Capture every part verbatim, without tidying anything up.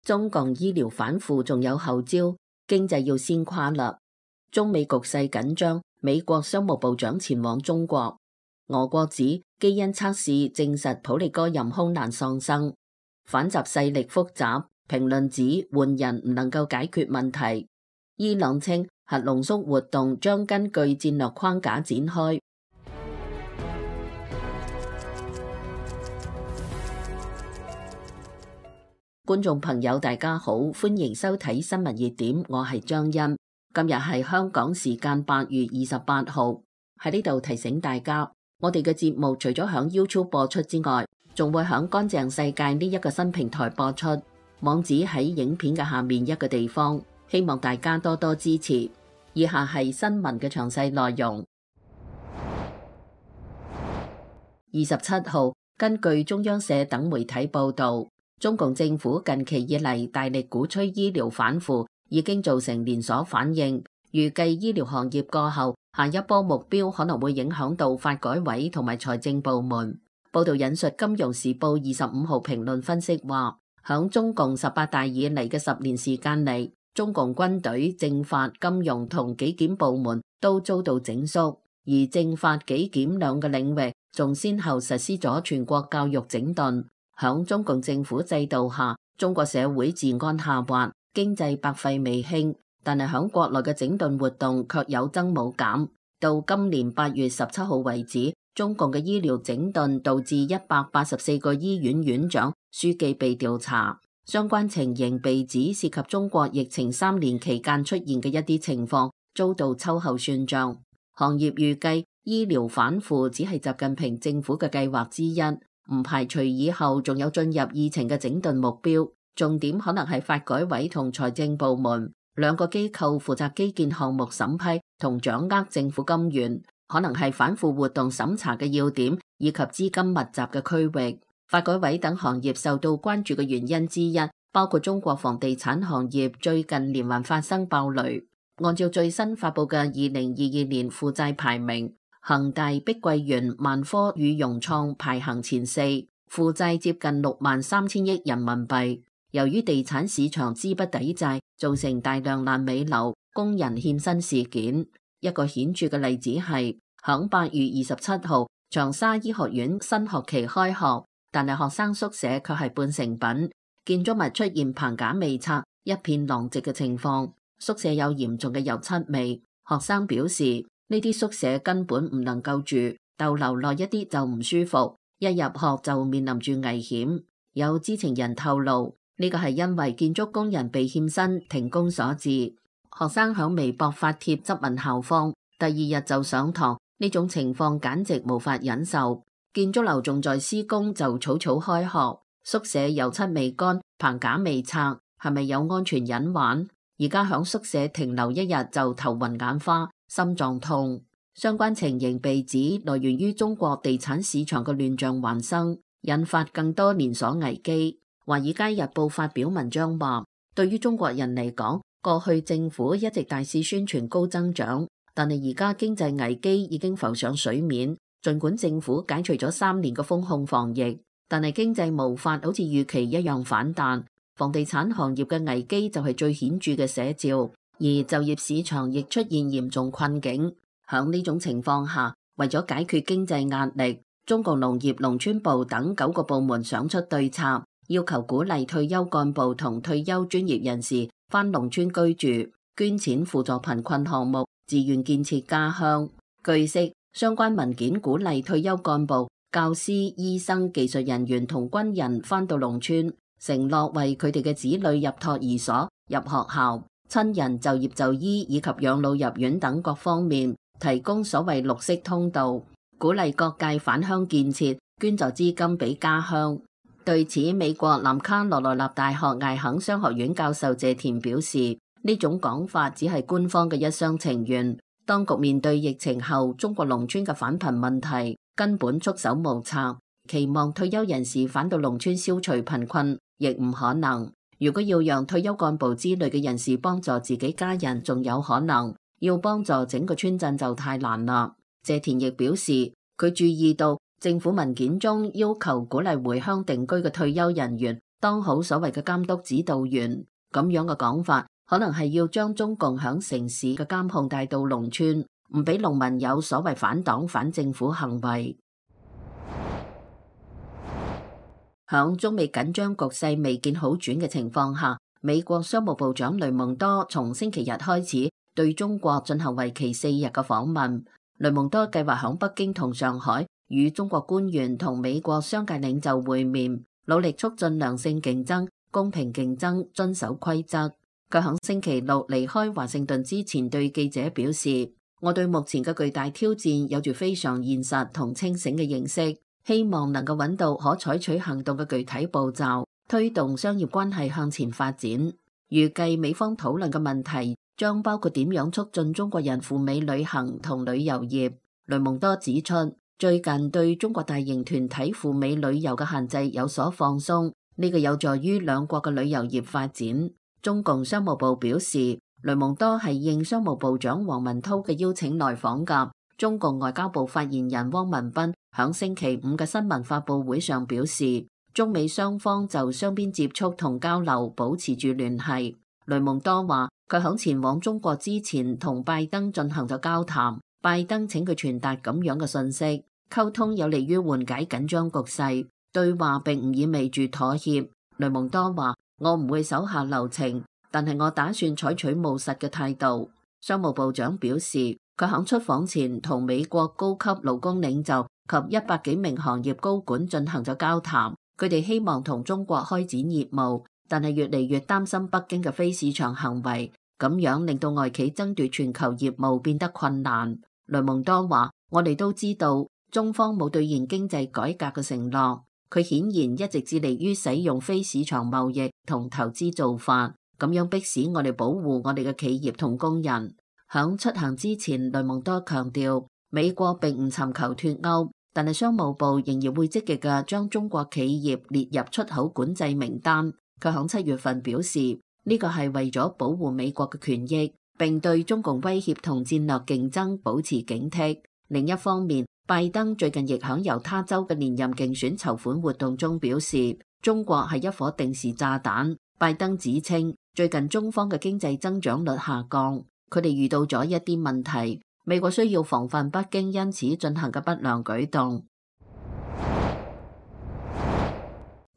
中共醫療反腐仲有後招，經濟要先垮啦。中美局勢緊張，美國商務部長前往中國。俄國指基因測試證實普利戈任空難喪生。反習勢力複雜，評論指換人唔能夠解決問題。伊朗稱核濃縮活動將根據戰略框架展開。觀眾朋友大家好，歡迎收睇新聞熱點，我係張欣。今日係香港時間八月二十八號，喺呢度提醒大家，我哋嘅節目除咗響 YouTube 播出之外，仲會響乾淨世界呢一個新平台播出，網址喺影片嘅下面一個地方，希望大家多多支持。以下係新聞嘅詳細內容。二十七號，根據中央社等媒體報道，中共政府近期以嚟大力鼓吹醫療反腐，已經造成連鎖反應。預計醫療行業過後，下一波目標可能會影響到發改委同埋財政部門。報道引述《金融時報》二十五號評論分析話，響中共十八大以嚟嘅十年時間嚟，中共軍隊、政法、金融同紀檢部門都遭到整肅，而政法、紀檢兩個領域仲先後實施咗全國教育整頓。響中共政府制度下，中國社會治安下滑，經濟百廢未興，但係響國內嘅整頓活動卻有增冇減。到今年八月十七號為止，中共嘅醫療整頓導致一百八十四個醫院院長、書記被調查，相關情形被指涉及中國疫情三年期間出現嘅一啲情況，遭到秋後算賬。行業預計醫療反腐只係習近平政府嘅計劃之一，唔排除以後仲有進入議程嘅整頓目標，重點可能係發改委同財政部門兩個機構負責基建項目審批同掌握政府金源，可能係反腐活動審查嘅要點以及資金密集嘅區域。發改委等行業受到關注嘅原因之一，包括中國房地產行業最近連環發生爆雷。按照最新發佈嘅二零二二年負債排名，恒大、碧桂園、萬科與融創排行前四，負債接近六萬三千億人民幣。由於地產市場資不抵債，造成大量爛尾樓、工人欠薪事件。一個顯著嘅例子係，響八月二十七號，長沙醫學院新學期開學，但係學生宿舍卻係半成品，建築物出現棚架未拆、一片狼藉嘅情況，宿舍有嚴重嘅油漆味。學生表示，呢啲宿舍根本唔能夠住，逗留耐一啲就唔舒服，一入學就面臨住危險。有知情人透露，呢個係因為建築工人被欠薪停工所致。學生響微博發帖質問校方，第二日就上堂，呢種情況簡直無法忍受。建築樓仲在施工就草草開學，宿舍油漆未乾，棚架未拆，係咪有安全隱患？而家響宿舍停留一日就頭暈眼花、心臟痛。相關情形被指來源於中國地產市場嘅亂象環生，引發更多連鎖危機。華爾街日報發表文章話，對於中國人嚟講，過去政府一直大肆宣傳高增長，但係而家經濟危機已經浮上水面。儘管政府解除咗三年嘅封控防疫，但係經濟無法好似預期一樣反彈。房地產行業嘅危機就係最顯著嘅寫照，而就業市場亦出現嚴重困境。響呢種情況下，為咗解決經濟壓力，中國農業農村部等九個部門想出對策，要求鼓勵退休幹部同退休專業人士返農村居住，捐錢輔助貧困項目，自願建設家鄉。據悉，相關文件鼓勵退休幹部、教師、醫生、技術人員同軍人返到農村，承諾為佢哋嘅子女入托兒所、入學校、親人就業就醫以及養老入院等各方面提供所謂綠色通道，鼓勵各界返鄉建設，捐助資金俾家鄉。對此，美國南卡羅來納大學艾肯商學院教授謝田表示，呢種講法只係官方嘅一廂情願。當局面對疫情後中國農村嘅返貧問題，根本束手無策，期望退休人士返到農村消除貧困亦唔可能。如果要讓退休幹部之類嘅人士幫助自己家人，仲有可能；要幫助整個村鎮就太難啦。謝田亦表示，佢注意到政府文件中要求鼓勵回鄉定居嘅退休人員當好所謂嘅監督指導員。咁樣嘅講法，可能係要將中共響城市嘅監控帶到農村，唔俾農民有所謂反黨反政府行為。響中美緊張局勢未見好轉嘅情況下，美國商務部長雷蒙多從星期日開始對中國進行為期四日嘅訪問。雷蒙多計劃響北京同上海與中國官員同美國商界領袖會面，努力促進良性競爭、公平競爭、遵守規則。佢響星期六離開華盛頓之前對記者表示：我對目前嘅巨大挑戰有住非常現實同清醒嘅認識，希望能夠揾到可採取行動嘅具體步驟，推動商業關係向前發展。預計美方討論嘅問題將包括點樣促進中國人赴美旅行同旅遊業。雷蒙多指出，最近對中國大型團體赴美旅遊嘅限制有所放鬆，呢個有助於兩國嘅旅遊業發展。中共商務部表示，雷蒙多係應商務部長王文濤嘅邀請來訪㗎。中共外交部發言人汪文斌響星期五嘅新聞發佈會上表示，中美雙方就雙邊接觸同交流保持住聯繫。雷蒙多話，佢響前往中國之前同拜登進行咗交談，拜登請佢傳達咁樣嘅信息，溝通有利於緩解緊張局勢，對話並唔意味住妥協。雷蒙多話，我唔會手下留情，但係我打算採取務實嘅態度。商務部長表示，佢響出訪前同美國高級勞工領袖及一百幾名行業高管進行咗交談，佢哋希望同中國開展業務，但係越嚟越擔心北京嘅非市場行為，咁樣令到外企爭奪全球業務變得困難。雷蒙多話，我哋都知道中方冇兌現經濟改革嘅承諾，佢顯然一直致力於使用非市場貿易同投資做法，咁樣迫使我哋保護我哋嘅企業同工人。響出行之前，雷蒙多強調，美國並唔尋求脫歐，但係商務部仍然會積極嘅將中國企業列入出口管制名單。佢響七月份表示，呢個係為咗保護美國嘅權益，並對中共威脅同戰略競爭保持警惕。另一方面，拜登最近亦響猶他州嘅連任競選籌款活動中表示，中國係一顆定時炸彈。拜登指稱，最近中方嘅經濟增長率下降，佢哋遇到咗一啲問題，美國需要防範北京因此進行嘅不良舉動。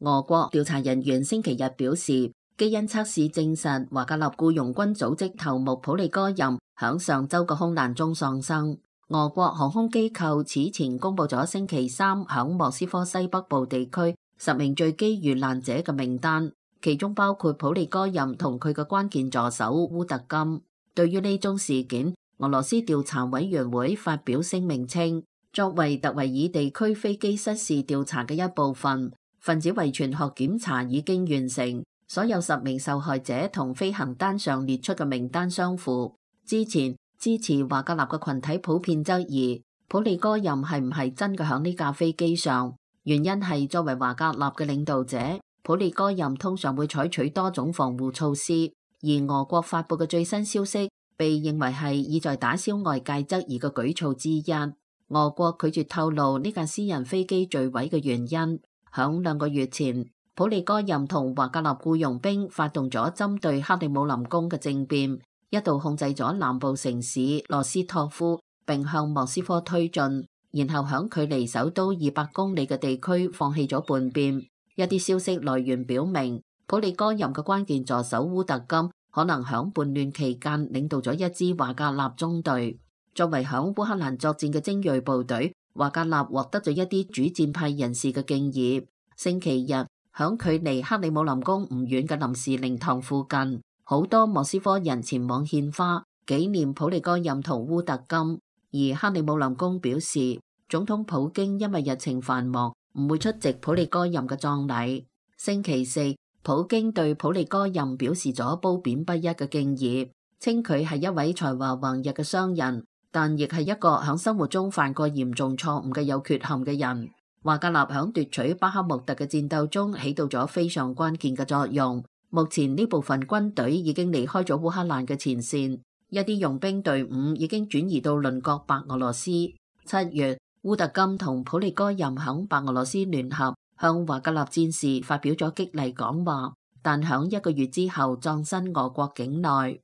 俄國調查人員星期日表示，基因測試證實華格納僱傭軍組織頭目普利戈任響上周嘅空難中喪生。俄國航空機構此前公布咗星期三響莫斯科西北部地區十名墜機遇難者嘅名單，其中包括普利戈任同佢嘅關鍵助手烏特金。對於呢宗事件，俄羅斯調查委員會發表聲明稱，作為特維爾地區飛機失事調查嘅一部分，分子遺傳學檢查已經完成，所有十名受害者同飛行單上列出嘅名單相符。之前支持華格納嘅群體普遍質疑普利戈任係唔係真嘅響呢架飛機上，原因係作為華格納嘅領導者，普利戈任通常會採取多種防護措施，而俄國發布嘅最新消息被認為係意在打消外界質疑嘅舉措之一。俄國拒絕透露呢架私人飛機墜毀嘅原因。響兩個月前，普利戈任同華格納僱傭兵發動咗針對克里姆林宮嘅政變，一度控制咗南部城市羅斯托夫，並向莫斯科推進，然後響距離首都二百公里嘅地區放棄咗叛變。一啲消息來源表明，普利戈任嘅關鍵助手烏特金可能響叛亂期間領導咗一支華格納中隊。作為響烏克蘭作戰嘅精銳部隊，華格納獲得咗一啲主戰派人士嘅敬意。星期日，響距離克里姆林宮唔遠嘅臨時靈堂附近，好多莫斯科人前往獻花紀念普利戈任同烏特金。而克里姆林宮表示，總統普京因為日程繁忙，唔會出席普利戈任嘅葬禮。星期四，普京對普利戈任表示咗褒貶不一嘅敬意，稱佢係一位才華橫溢嘅商人，但亦係一個響生活中犯過嚴重錯誤嘅有缺陷嘅人。華格納響奪取巴克穆特嘅戰鬥中起到咗非常關鍵嘅作用。目前呢部分軍隊已經離開咗烏克蘭嘅前線，一啲傭兵隊伍已經轉移到鄰國白俄羅斯。七月，烏特金同普利戈任響白俄羅斯聯合向華格納戰士發表咗激勵講話，但響一個月之後葬身俄國境內。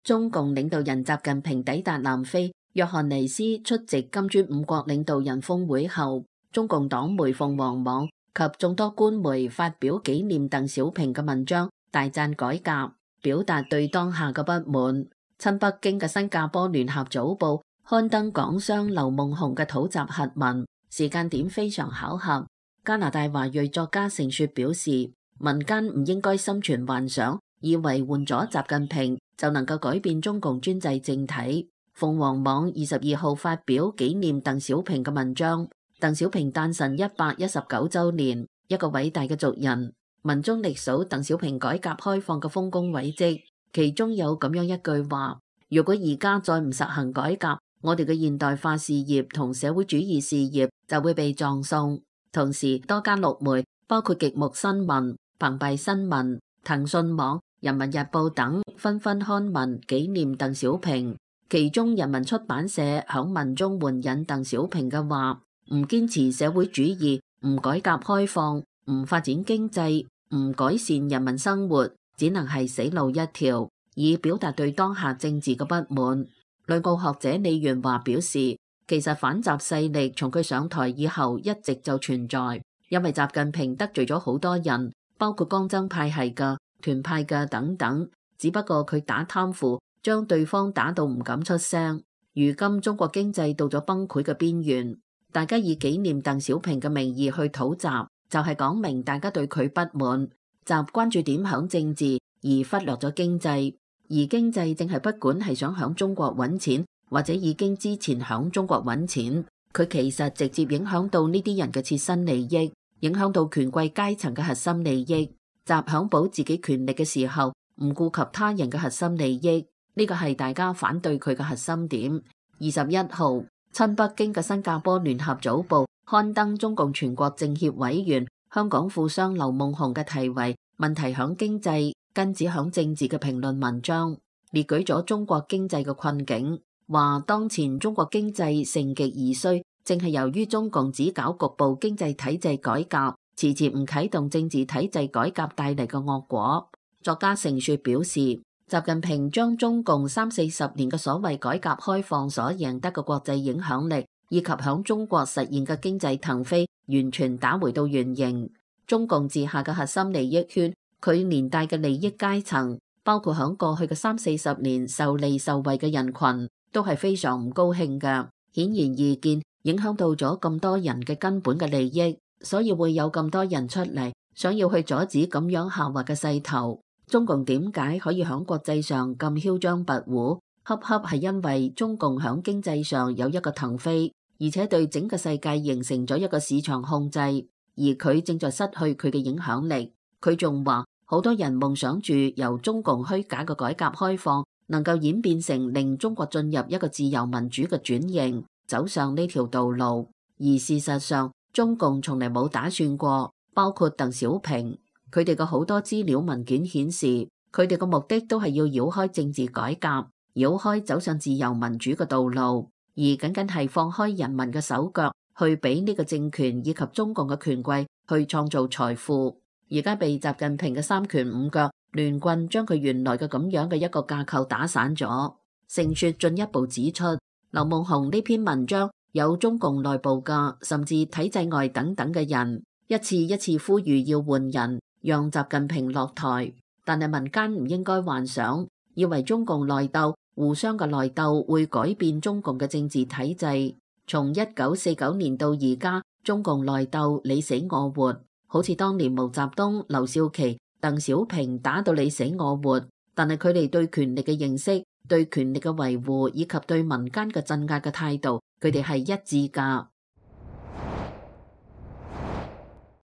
中共領導人習近平抵達南非約翰尼斯出席金磚五國領導人峰會後，中共黨媒鳳凰網及眾多官媒發表紀念鄧小平嘅文章，大讚改革，表達對當下嘅不滿。親北京嘅新加坡聯合早報刊登港商劉夢熊嘅土集核文，時間點非常巧合。加拿大華裔作家盛雪表示，民間唔應該心存幻想，以為換咗習近平就能夠改變中共專制政體。鳳凰網二十二號發表紀念鄧小平嘅文章，鄧小平誕辰一百一十九週年，一個偉大嘅族人。文中歷數鄧小平改革開放嘅豐功偉績，其中有咁樣一句話：如果而家再唔實行改革，我哋嘅現代化事業同社會主義事業就會被葬送。同時，多家陸媒，包括極目新聞、澎湃新聞、騰訊網、人民日報等，紛紛刊文紀念鄧小平。其中，人民出版社響文中援引鄧小平嘅話：唔堅持社會主義，唔改革開放，唔發展經濟，唔改善人民生活，只能係死路一條，以表達對當下政治嘅不滿。旅澳學者李元華表示，其實反習勢力從佢上台以後一直就存在，因為習近平得罪咗好多人，包括江增派系嘅、團派嘅等等，只不過佢打貪腐，將對方打到唔敢出聲。如今中國經濟到咗崩潰嘅邊緣，大家以紀念鄧小平嘅名義去討習，就係講明大家對佢不滿。習關注點響政治，而忽略咗經濟。而經濟正係不管係想響中國揾錢，或者已經之前響中國揾錢，佢其實直接影響到呢啲人嘅切身利益，影響到權貴階層嘅核心利益。習響保自己權力嘅時候，唔顧及他人嘅核心利益，呢個係大家反對佢嘅核心點。二十一號，親北京嘅新加坡聯合早報刊登中共全國政協委員、香港富商劉夢熊嘅題為《問題響經濟，根子響政治》嘅評論文章，列舉咗中國經濟嘅困境，話當前中國經濟盛極而衰，正係由於中共只搞局部經濟體制改革，遲遲唔啟動政治體制改革帶嚟嘅惡果。作家盛雪表示，習近平將中共三四十年嘅所謂改革開放所贏得嘅國際影響力，以及響中國實現嘅經濟騰飛，完全打回到原形。中共治下嘅核心利益圈，佢連帶嘅利益階層，包括響過去嘅三四十年受利受惠嘅人群，都係非常唔高興嘅。顯然易見，影響到咗咁多人嘅根本嘅利益，所以會有咁多人出嚟，想要去阻止咁樣下滑嘅勢頭。中共點解可以響國際上咁囂張跋扈？恰恰係因為中共響經濟上有一個騰飛，而且對整個世界形成咗一個市場控制。而佢正在失去佢嘅影響力。佢仲話，好多人夢想住由中共虛假嘅改革開放能夠演變成令中國進入一個自由民主嘅轉型，走上呢條道路。而事實上，中共從嚟冇打算過。包括鄧小平，佢哋嘅好多資料文件顯示，佢哋嘅目的都係要繞開政治改革，繞開走上自由民主嘅道路，而僅僅係放開人民嘅手腳，去俾呢個政權以及中共嘅權貴去創造財富。而家被習近平嘅三權五腳亂棍將佢原來嘅咁樣嘅一個架構打散咗。盛雪進一步指出，劉夢熊呢篇文章有中共內部嘅，甚至體制外等等嘅人一次一次呼籲要換人，讓習近平落台。但係民間唔應該幻想，以為中共內鬥、互相嘅內鬥會改變中共嘅政治體制。從一九四九年到而家，中共內鬥你死我活，好似當年毛澤東、劉少奇、鄧小平打到你死我活。但係佢哋對權力嘅認識、對權力嘅維護以及對民間嘅鎮壓嘅態度，佢哋係一致㗎。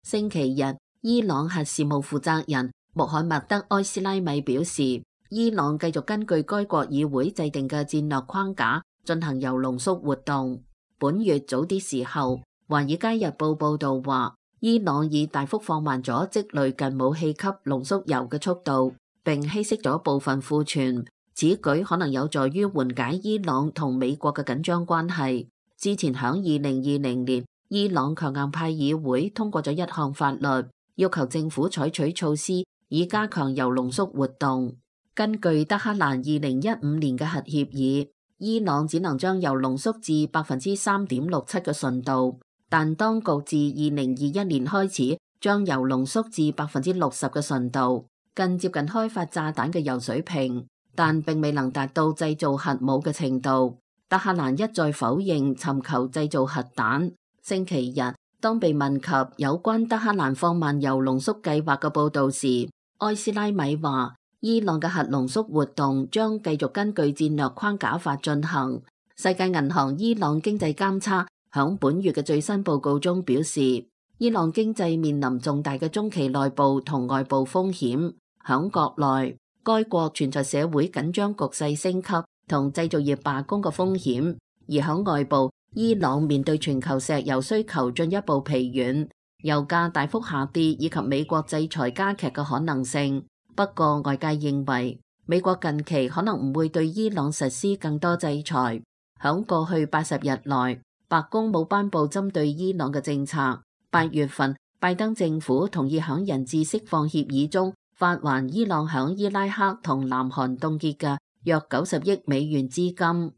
星期日，伊朗核事務負責人穆罕默德埃斯拉米表示，伊朗繼續根據該國議會制定嘅戰略框架進行鈾濃縮活動。本月早啲時候，《華爾街日報》報道話，伊朗已大幅放慢咗積累近武器級濃縮鈾嘅速度，並稀釋咗部分庫存。此舉可能有助於緩解伊朗同美國嘅緊張關係。之前響二零二零年，伊朗強硬派議會通過咗一項法律，要求政府採取措施以加強鈾濃縮活動。根據德黑蘭二零一五年嘅核協議，伊朗只能將鈾濃縮至百分之三點六七嘅純度，但當局自二零二一年開始將鈾濃縮至百分之六十嘅純度，更接近開發炸彈嘅鈾水平，但並未能達到製造核武嘅程度。德黑蘭一再否認尋求製造核彈。星期日，當被問及有關德黑蘭放慢鈾濃縮計劃嘅報導時，埃斯拉米話：伊朗嘅核濃縮活動將繼續根據戰略框架法進行。世界銀行伊朗經濟監測響本月嘅最新報告中表示，伊朗經濟面臨重大嘅中期內部同外部風險。響國內，該國存在社會緊張局勢升級同製造業罷工嘅風險；而響外部，伊朗面對全球石油需求進一步疲軟、油價大幅下跌以及美國制裁加劇嘅可能性。不過，外界認為美國近期可能唔會對伊朗實施更多制裁。響過去八十日內，白宮冇頒布針對伊朗嘅政策。八月份，拜登政府同意響人質釋放協議中發還伊朗響伊拉克同南韓凍結嘅約九十億美元資金。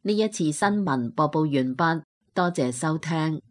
呢一次新聞播報完畢，多謝收聽。